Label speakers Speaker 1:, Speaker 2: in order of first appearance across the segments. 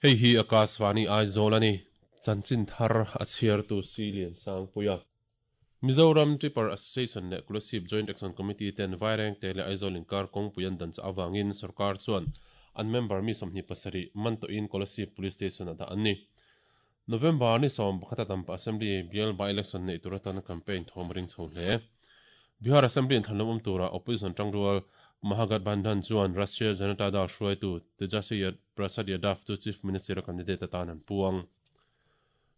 Speaker 1: Hei hi Akashvani Aizawl a ni. Chanchin thar a chhiartu Si Liansangpuia. Mizoram Tipper Association leh Kolasib Joint Action Committee ten Vairengte leh Aizawl inkar kawngpui an dan chah avangin sorkar chuan an member mi 27 man tawhin Kolasib Police Station ah dah an ni. November ni 11 a Dampa Assembly bial by-election neih tur atana campaign thawm a ring chho hle. Bihar Assembly inthlanlawm awm tura opposition tangrual Mahagathbandhan chuan Rashtriya Janata Dal hruaitu Tejaswi Prasad Yadav chu Chief Minister a candidate atan an puang.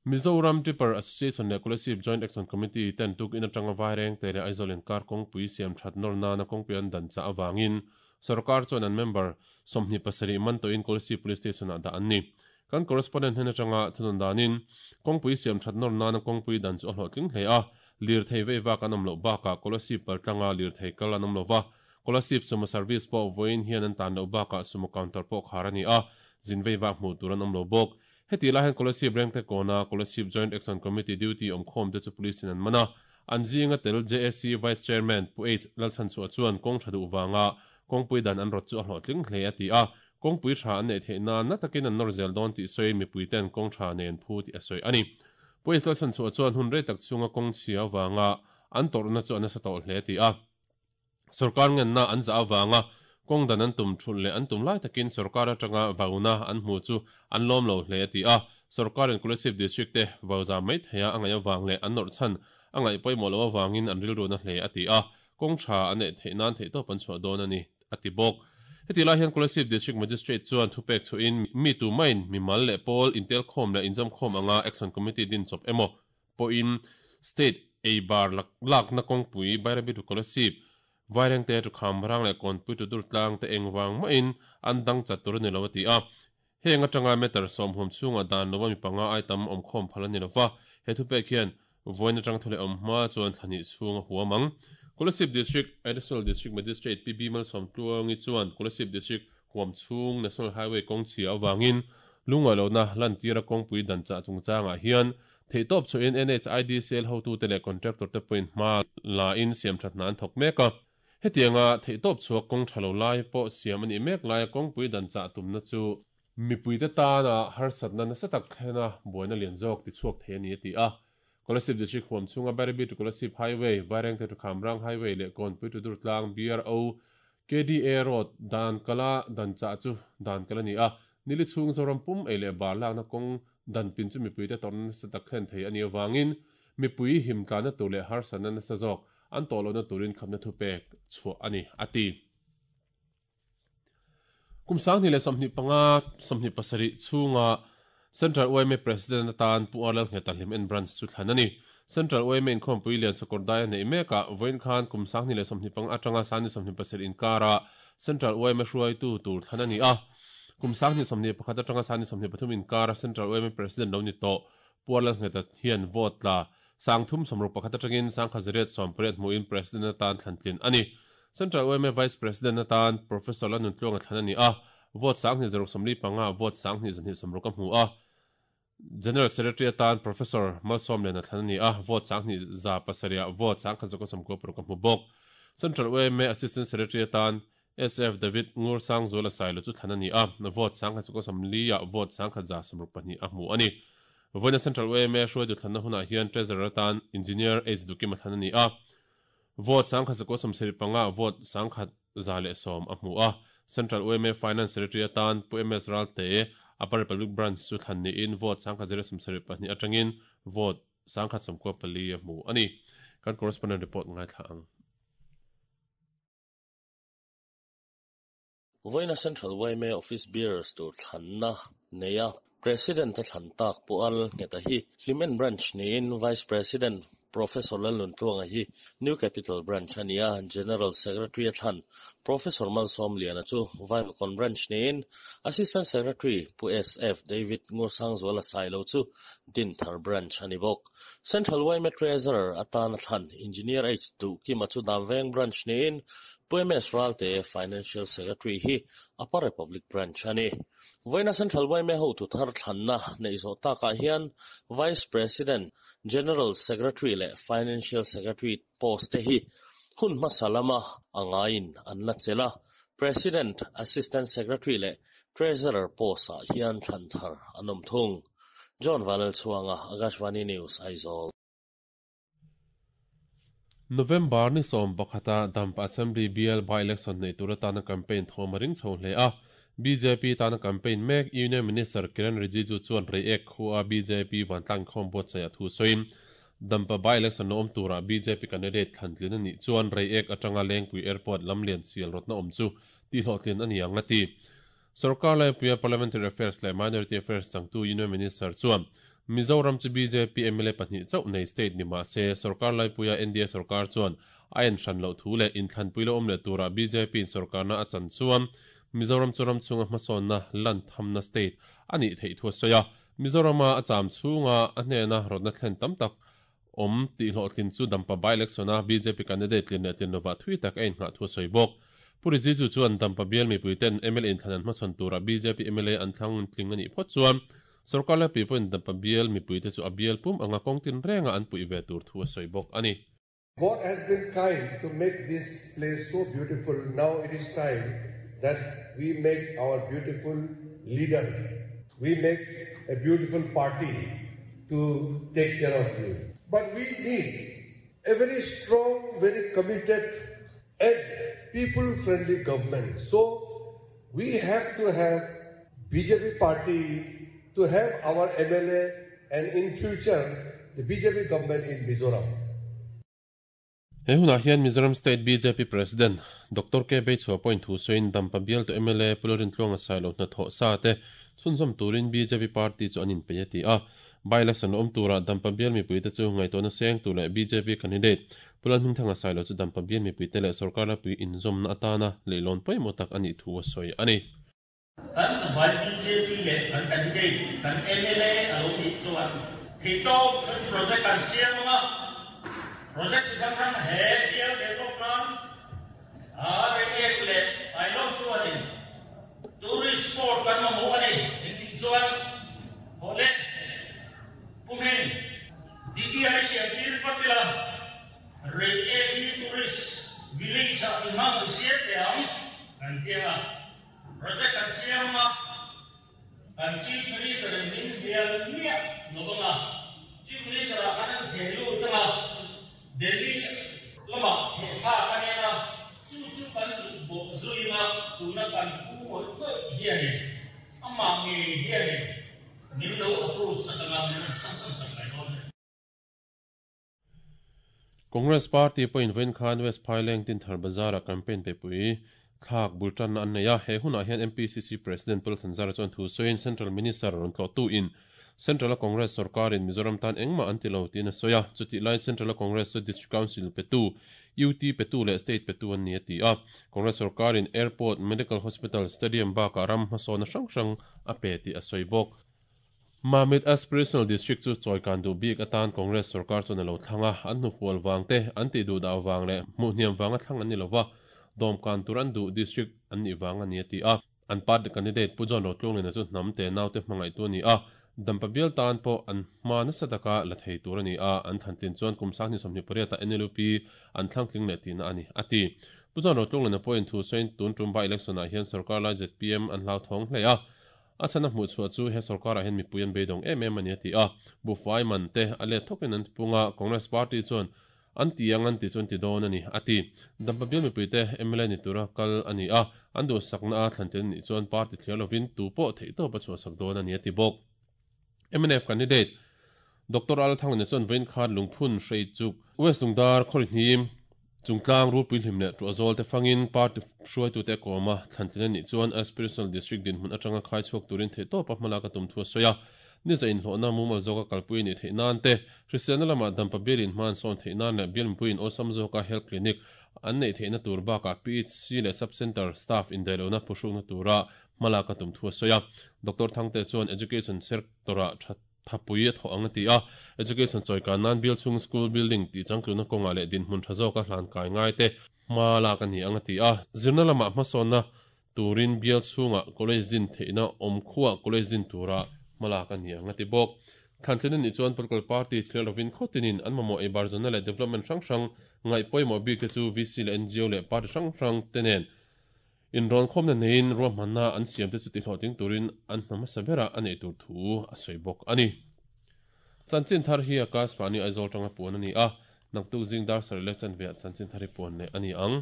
Speaker 1: Mizoram Tipper Association leh Kolasib Joint Action Committee ten tukin atanga Vairengte leh Aizawl inkar kawngpui siam that nawr nana kawngpui an dan chah avangin sorkar chuan an member 27 man tawhin Kolasib Police Station ah dah an ni. Kan correspondent hnen atanga thunawn danin kawngpui siam that nawr nana kawngpui dan chu a hlawhtling hle a, lirthei vei vak an awm loh bakah Kolasib paltlanga lirthei kal an awm lo va, Kolasib sumo service pawh vawiin hian an tan loh bakah sumo counter pawh khar a ni a, zin vei vak hmuh tur an awm lo bawk. Heti lai hian Kolasib Rengte kawna Kolasib Joint Action Committee duty awmkhawm te chu police in an man a, an zinga tel JAC Vice Chairman Pu H Lalchhanchhuah chuan kawng tha duh vanga kawngpui dan an rawt chu a hlawhtling hle a ti a, kawngpui tha an neih theih nan na takin an nawr zel dawn tih sawiin mipui ten kawng tha nen phu tih a sawi a ni. Pu H Lalchhanchhuah chuan hun rei tak chhunga kawng chhia avanga an tawrhna chu a nasa tawh hle a ti a. Sorkar ngenna an zah avanga kawng dan an tum thulh leh an tum lai takin sorkar atanga vauna an hmu chu an lawm lo hle a ti a. Sorkarin Kolasib District te vau zam mai theia a ngaih avang leh an nawrh chhan a ngaih pawimawh loh avangin an rilru na hle a ti a, kawng tha an neih theih nan theihtawp an chhuah dawn a ni a ti bawk. Heti lai hian Kolasib District Magistrate chuan thupek chhuahin mi tumain mimal leh pawl intelkhawm leh inzawmkhawm anga Action Committee din chawp emaw pawhin State ei bar lakna kawngpui Bairabi to Kolasib, Vairengte to Khamrang leh Kawnpui to Durtlang te engvang mahin an dang chat tur a ni lo a ti a. Heng atanga meter sawmhum chhungah dan lova mi panga ai tam awmkhawm phal a ni lova, he thupek hian vawiin atang thu leh awm hma chuan thla hnih chhung a huam ang. Kolasib District Additional District Magistrate PB Malsawmtluangi chuan Kolasib District huam chhung National Highway kawng chhia avangin lungngaihlohna lantira kawngpui dan chah chungchangah hian Theihtawp chhuahin NHIDCL hotute leh contractor te pawhin hma la in siamthat hna an thawk mek a. Hetianga theihtawp chhuak kawng tha lo lai pawh siam a nih mek laia kawngpui dan chah tumna chu mipuite tana harsatna nasa tak thlena buaina lian zawk tichhuak thei a ni a ti a. Kolasib District huam chhunga Bairabi to Kolasib Highway, Vairengte to Khamrang Highway leh Kawnpui to Durtlang BRO KDA Road dan kala dan chah chu dan kal a ni a, nili chhung Zoram pum ei leh bar lakna kawng dan pin chu mipuite tawrhna nasa tak thlen thei a nih avangin mipui him tlanna tur leh harsatna nasa zawk an tawh lohna turin khamna thupek chhuah a ni, a ti. Kum 2025, 27 chhunga Central yma President atan Pu R Lalngheta Hlimen Branch chu thlan a ni. Central yma inkhawmpui lian Sakawrdai a neih mekah vawiin khan kum 2025 atanga 2027 inkara Central yma hruaitu tur thlan a ni a. Kum 2021 atanga 2023 inkara Central yma President lo ni tawh Pu R Lalngheta hian vote tla 361 atangin 1880 hmuhin President atan thlan tlin a ni. Central yma Vice President atan Professor Lanuntluanga thlan a ni a, vote 2645 vote 2260 a hmu a. General Secretary atan Professor Malsawmliana thlan a ni a, vote 2107 vote 1196 a hmu bawk. Central yma Assistant Secretary atan SF David Ngursangzuala Sailo chu thlan a ni a, vote 1140 vote 1162 a hmu a ni. Vawiina Central yma hruaitu thlanna hunah hian Treasurer atan Engineer H Dukima thlan a ni a, Vote 1175 vote 1110 a hmu a. Central yma Finance Secretary atan Pu MS Ralte, Upper Republic Branch chu thlan niin vote 1072 atangin vote 1194 a hmu a ni. Kan correspondent report ngaithla ang.
Speaker 2: Vawiina Central yma Office Bearers tur thlanna nei a, President a thlan tak Pu Al Ngheta hi Hlimen Branch niin Vice President Professor Lalnuntluanga hi New Capital Branch a ni a, General Secretary a thlan Professor Malsawmliana chu Vaivakawn Branch niin Assistant Secretary Pu SF David Ngursangzuala Sailo chu Dinthar Branch a ni bawk. Central yma Treasurer atana thlan Engineer H Duhkima chu Damveng Branch niin Pu MS Ralte, Financial Secretary hi Upper Republic Branch a ni. Vawiina Central yma hotu thar thlanna neih zawh takah hian Vice President, General Secretary leh Financial Secretary post te hi hun hmasa lama a ngaiin an la chelh a, President, Assistant Secretary leh Treasurer post-ah hian thlan thar an awm thung. John Vanlalchhuanga, Akashvani News, Aizawl.
Speaker 1: November ni 11-a Dampa Assembly bial by-election neih tur atana campaign thawm a ring chho hle a. Bjp tana campaign mek Union Minister Kiren Rijiju chuan Reiek khua bjp vantlang inkhawm buatsaih a thu sawiin, Dampa by-election lo awm turah bjp candidate thlantlin a nih chuan Reiek atanga Lengpui Airport lamlian sial rawtna awm chu tihhlawhtlin a ni ang a ti. Sorkar laipuia Parliamentary Affairs leh Minority Affairs changtu Union Minister chuan Mizoram chu bjp mla pahnih chauh nei state ni mah se sorkar laipuia nda sorkar chuan a en hran loh thu leh inthlanpui lo awm leh turah bjp in sorkarna a chan chuan Mizoram chu ram chhunga hmasawnna lan thamna state a nih theih thu a sawi a. Mizorama a cham chhunga a hnena rawtna thlen tam tak awm tih hlawhtlin chu Dampa by-election-a bjp candidate tlin leh tlin lovah thui tak a inngah thu a sawi bawk. Pu Rijiju chuan Dampa bial mipuiten mla inthlan an hmachhawn turah bjp mla an thlang tling a nih phawt chuan sorkar laipui pawhin Dampa bial mipuite chu a bial pum anga kawng tin renga an puih ve tur thu a sawi bawk a ni.
Speaker 3: God has been kind to make this place so beautiful, now it is time that we make our beautiful leader, we make a beautiful party to take care of you. But we need a very strong, very committed and people-friendly government. So we have to have BJP party to have our MLA and in future the BJP government in Mizoram.
Speaker 1: He hunah hian Mizoram State bjp President Doctor K Beichhua pawhin thu sawiin Dampa bialtu mla Pu Lalrintluanga Sailo hnathawh sa te chhunzawm turin bjp party chu an inpeih a ti a. By-election awm turah Dampa bial mipuite chu ngaihtuahna seng tur leh bjp candidate Pu Lalhmingthanga Sailo chu Dampa bial mipuite leh sorkar laipui inzawmna atana leihlawn pawimawh tak a nih thu a sawi a ni.
Speaker 4: Kan zavai bjp leh kan candidate, kan mla a lo nih chuan theihtawp chhun project kan siam ang a, project chi hrang hrang he bial develop nan a Reiek leh Ailawng chuanin tourist spot kan mamawh a ni engtih chuan hawleh pumin DPI siam tir vat ila Reiek hi tourist village ah inhmang i siam teh ang kan ti ang a. Project kan siam anga, kan Chief Minister in min bial miah lo anga, Chief Minister ah khan an theh lut anga, Delhi lamah theh thlak a nia, chu chu kan zuk bawh zui anga, tuna kan pu ngawih ngawih hianin, amah ngei hianin min lo approve sak anga, min rawn sanction sak mai dawn a ni.
Speaker 1: Congress Party pawhin vawiin khan West Phaileng Tinthar Bazar-ah campaign pepui thlak bul tanna an nei a. He hunah hian MPCC President Pu Lalthanzara chuan thu sawiin Central Minister rawn tlawhtuin Central-a Congress sorkarin Mizoram tan engmah an ti lo tiin a sawi a. Chutih laiin Central-a Congress chu District Council petu, UT petu leh State petu an ni a ti a. Congress sorkarin Airport, Medical Hospital, Stadium bakah ram hmasawnna hrang hrang a pe tih a sawi bawk. Mamit Aspirational District chu chawikan duh bik atan Congress sorkar chuan a lo thlang a, an hnufual vang te, an tih duh dah vang leh hmuh hniam vanga thlang an ni lo va, dawmkan tur an duh district an nih vang a ni a ti a. An party candidate Pu John Rotlunglina chu hnam te naute hmangaihtu a ni a, Dampa bial tan pawh an hma nasa taka la thei tur a ni a, an thlantlin chuan kum 2028 ah NLUP an thlangtling leh tihna a ni, a ti. Pu John Rotlunglina pawhin thu sawiin tun tum by election ah hian sorkar lai zpm an hlauthawng hle a, A chhan a hmuh chhuah chu he sorkarah hian mipui an beidawng em em a ni a ti a, buhfai man te a let thawkin an tipung a, Congress party chuan an ti ang an ti chu an ti dawn a ni a ti. Dampa bial mipuite mla ni tura kal a ni a, an duhsakna a thlan tel a nih chuan party thliar lovin tu pawh theihtawp a chhuahsak dawn a ni a ti bawk. Mnf candidate Doctor Al Thanglana chuan vawiin khan lungphun hrei chuk West Lungdar Khawrihnim Chungtlang Rulpui Hlim leh Tuahzawl te fangin party hruaitute a kawm a, thlantlin a nih chuan Aspirational District dinhmun atanga khai chhuak turin theihtawpa hmalak a tum thu a sawi a. Niza inhlawhna mumal zawka kalpui a nih theih nan te, hriselna lamah dampa bialin hma an sawn theih nan leh bial mipuiin awlsam zawka health clinic an neih theihna tur bakah PHC leh sub-centre staff indaihlohna phuhrukna tura hmalak a tum thu a sawi a. Doctor Thangte chuan Education sector-ah tha thapui a thawh ang a ti a, Education chawikan nan bial chhung school building tih changtluna kawngah leh dinhmun tha zawka hlan kai ngai te. hma lak a ni ang a ti a. Zirna lamah hmasawnna turin bial chhungah college din theihna awm khuah college din tura hma lak a ni ang a ti bawk. Thlantlin a nih chuan political party thlir lovin khaw tinin an mamawh ei bar zawnna leh development hrang hrang ngaih pawimawh bik te chu VC leh ngo leh party hrang hrang te nen inrawnkhawmna neiin ruahmanna an siam te chu tihlawhtling turin an hna hmasa berah a neih tur thu a sawi bawk a ni. Chanchin thar hi Akashvani Aizawl tanga puan a ni a, naktuk zing dar sarih leh chanveah chanchin thar hi puan leh a ni ang.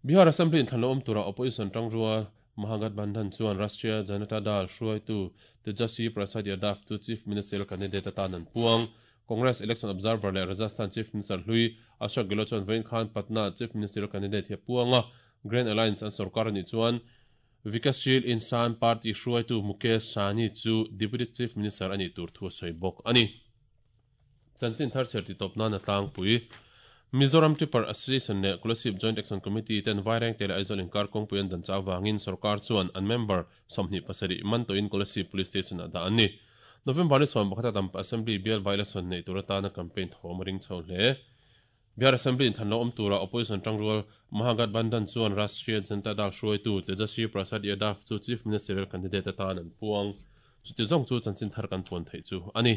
Speaker 1: Bihar Assembly inthlan lo awm tura Opposition tangrual Mahagathbandhan chuan Rashtriya Janata Dal hruaitu Tejaswi Prasad Yadav chu Chief Ministerial candidate atan an puang. Congress Election Observer leh Rajasthan Chief Minister hlui Ashok Gehlot chuan vawiin khan Patna Chief Ministerial candidate hi a puang a, Grand Alliance an sorkar a nih chuan Vikassheel Insaan Party hruaitu Mukesh Sahni chu Deputy Chief Minister a nih tur thu a sawi bawk a ni. Chanchin thar chher titawp nan a tlangpui. Mizoram Tipper Association leh Kolasib Joint Action Committee ten Vairengte leh Aizawl inkar kawngpui an dan chah avangin sorkar chuan an member 27 man tawhin Kolasib Police Station ah dah an ni. November ni 11 a Dampa Assembly bial by-election neih tur atana campaign thawm a ring chho hle. Bihar Assembly inthan lo awm tura Opposition tangrual Mahagathbandhan chuan Rashtriya Janata Dal hruaitu Tejaswi Prasad Yadav chu Chief Ministerial candidate atan an puang. Chuti zawng chu chanchin thar kan puan theih chu a ni.